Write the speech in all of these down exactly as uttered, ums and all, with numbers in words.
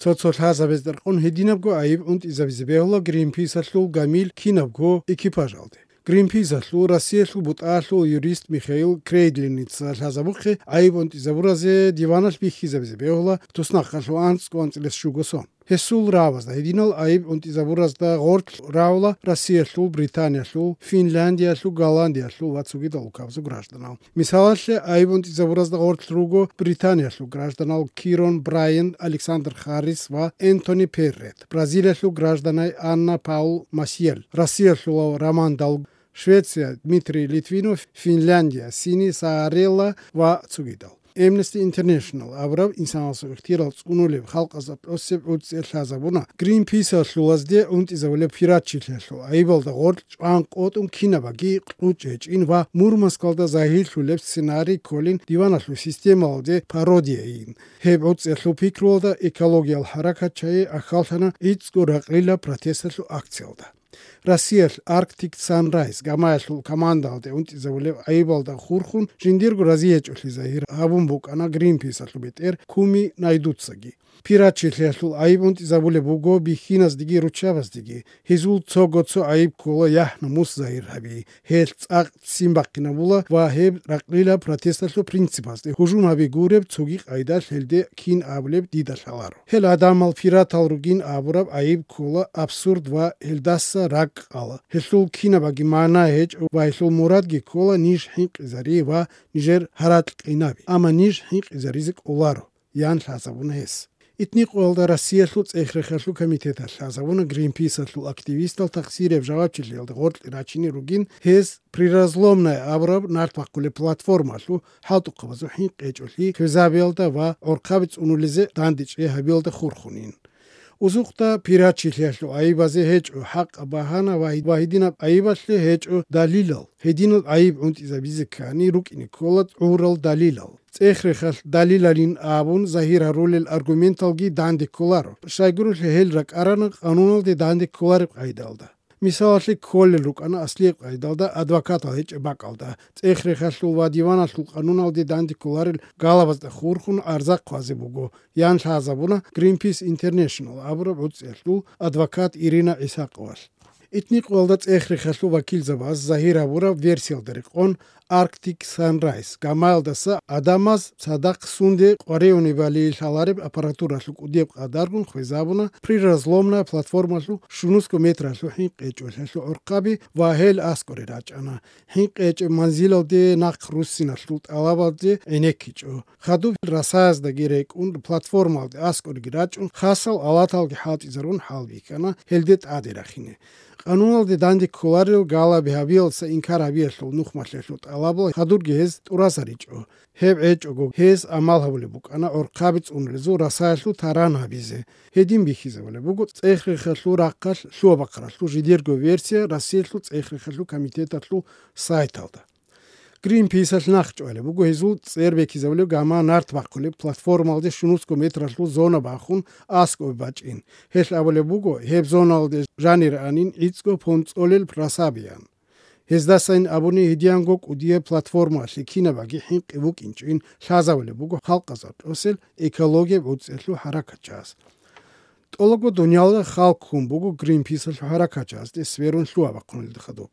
Цо-цо лъазабазда рекъон гьединабго айиб унтӀизабизе бегьула Гринписалъул гамил кинабго экипажалде. Гринписалъул Россиялъул бутӀаялъул юрист Михаил Крейдлиница лъазабухъе айиб унтӀизабуразе диваналъ бихьизабизе бегьула туснахъалъув анцӀго анцӀилес щуго сон. Гьесул равазда гьединал айиб унтӀизабуразда гъорлъ рагӀула Россиялъул, Британиялъул, Финляндиялъул, Голландиялъул ва цогидал улкабазул гражданал. Мисалалъе, айиб унтӀизабуразда гъорлъ руго Британиялъул гражданал Кирон Брайан, Александр Харрис ва Энтони Перрет, Бразилиялъул гражданай Анна Паул Масиел, Россиялъулав Роман Дал, Швеция, Дмитрий Литвинов, Финляндия, Сини Саарелла ва цогидал. Amnesty International абураб инсанасул ихтияр цӀунулеб халкъазда тӀосеб гӀуцӀиялъ лъазабуна Гринписалъулазде унтӀизабулеб пиратчилъиялъул айибалда гъорлъ чӀван къотӀун кинабаги кьучӀ гьечӀин ва Мурманскалда загьирлъулеб сценарий кколин диваналъул системалде пародияйин. Гьеб гӀуцӀиялъул пикруялда экологиял хӀаракатчагӀи ахьаллъана гӀицӀго ракълила протесталъул акциялда. Россиялъ Arctic Sunrise гамаялъул командалде унтӀизабулеб айибалда хурхун жиндирго разиячӀолъи загьир гьабун букӀана Гринписалъул бетӀер Куми Найдуцаги. Пиратчилъиялъул айиб унтӀизабулеб буго бихьиназдеги руччабаздеги. Гьезул цого-цо айиб ккола яхӀ-намус загьир гьаби, гьелъ цӀакъ ццин бахъинабула ва гьеб ракълила протесталъул принципазде гьужум гьаби гуреб цоги къайдалъ гьелде кин абулеб дида лъаларо. Гьел гӀадамал пиратал ругин абураб айиб ккола абсурд ва гьелдаса ракӀ къала. Гьелъул кинабаги магӀна гьечӀо ва гьелъул мурадги ккола ниж хӀинкъизари ва нижер гьаракь къинаби, амма ниж хӀинкъизаризе кӀоларо, ян лъазабуна гьес. Итникъоялда Россиялъул цӀех-рехалъул комитеталъ лъазабуна Гринписалъул активистал тахсирияб жавабчилъиялда гъоркье рачине ругин гьез Приразломная абураб нарт бахъулеб платформалъул хӀалтӀухъабазул хӀинкъи гьечӀолъи хвезабиялда ва гӀорхъаби цӀунулезе дандечӀей гьабиялда хурхунин. Узухъда пиратчилъиялъул айибазе гьечӀо хӀакъаб багьана ва гьединаб айибалъе гьечӀо далилал. Гьединал айиб унтӀизабизе ккани рукӀине ккола гӀурал далилал. ЦӀех-рехалъ далилалин абун загьир гьарулел аргументалги данде кколаро. Щайгурелъул гьел ракӀарана къануналде данде кколареб къайдалда. Мисалалъе кколел рукӀана аслияб къайдалда адвокатал гьечӀеб бакӀалда, цӀех-рехалъул ва диваналъул къануналде данде кколарел галабазда хурхун гӀарза хъвазе буго, ян лъазабуна Greenpeace International абураб гӀуцӀиялъул адвокат Ирина ГӀисакъовалъ. Итникъоялда цӀех-рехалъул вакилзабаз загьир гьабураб версиялда рекъон, Arctic Sunrise гамаялдаса гӀадамаз цадахъ сунде къваригӀунебали лъалареб аппаратуралъул кӀудияб къадаргун хвезабуна Приразломная платформалъул щунусго метралъул хӀинкъи гьечӀолъиялъул гӀорхъаби ва гьел аскӀоре рачӀана. ХӀинкъи гьечӀеб манзилалде нахъ руссиналъул тӀалабалде гӀенеккичӀо. Хадуб расаяздаги рекӀун, платформалде аскӀореги рачӀун, хасал алаталги хӀалтӀизарун хӀалбихьана гьелде тӀаде рахине. Къануналде данде кколарел галаби гьабиялдаса инкар гьабиялъул нухмалъиялъул тӀалабал хадурги гьез тӀуразаричӀо. Гьеб гьечӀого, гьез амал гьабулеб букӀана гӀорхъаби цӀунулезул расаялъул таран гьабизе. Гьедин бихьизабулеб буго цӀех-рехалъул рахъалъ лъугьа-бахъаралъул жидерго версия Россиялъул цӀех-рехалъул комитеталъул сайталда. Гринписалъ нахъчӀвалеб буго гьезул цӀер бекизабулеб гама нарт бахъулеб платформалде щунусго метралъул зона бахун аскӀове бачӀин. Гьелъ абулеб буго, гьеб зоналде жанир анин гӀицӀго понцӀолел просабиян. Гьездасайин абуни гьедиянго кӀудияб платформалъе кинабаги хӀинкъи букӀинчӀин лъазабулеб буго халкъазда тӀосел экологияб гӀуцӀиялъул хӀаракатчагьаз. ТӀолого дуниялда халкъ ккун буго Гринписалъул хӀаракатчагьазде сверун лъугьа-бахъунелда хадуб.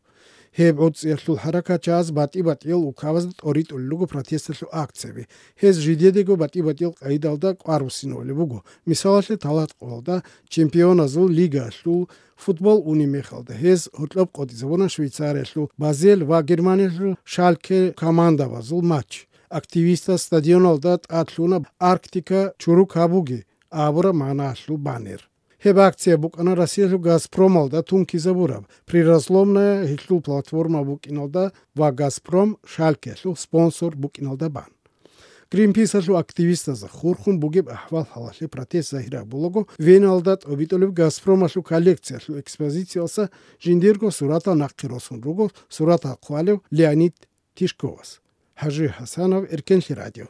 Гьеб гӀуцӀиялъул хӀаракатчагьаз батӀи-батӀиял улкабазда тӀоритӀулел руго протесталъул акцияби. Гьез жидедаго батӀи-батӀиял къайдалда кӀвар буссинавулеб буго, мисалалъе, Талаткъоялда Чемпионазул лигаялъул футбол унеб мехалда гьез гьоркьоб къотӀизабуна Швейцариялъул Базель ва Германиялъул Шальке командабазул матч. Активистаз стадионалда тӀад лъуна «Арктика чурукабуги» абураб магӀналъул баннер. Гьеб акция букӀана Россиялъул Газпромалда тункизабураб, Приразломная гьелъул платформа букӀиналда ва Газпром Шалькелъул спонсор букӀиналда бан. Гринписалъул активистазда хурхун бугеб ахӀвал-хӀалалъе протест загьир гьабулаго, Веналда тӀобитӀулеб Газпромалъул коллекциялъул экспозициялдаса жиндирго суратал нахъе росун руго суратал хъвалев Леонид Тишковас. ХӀажи ХӀасанов, Эркенлъи радио.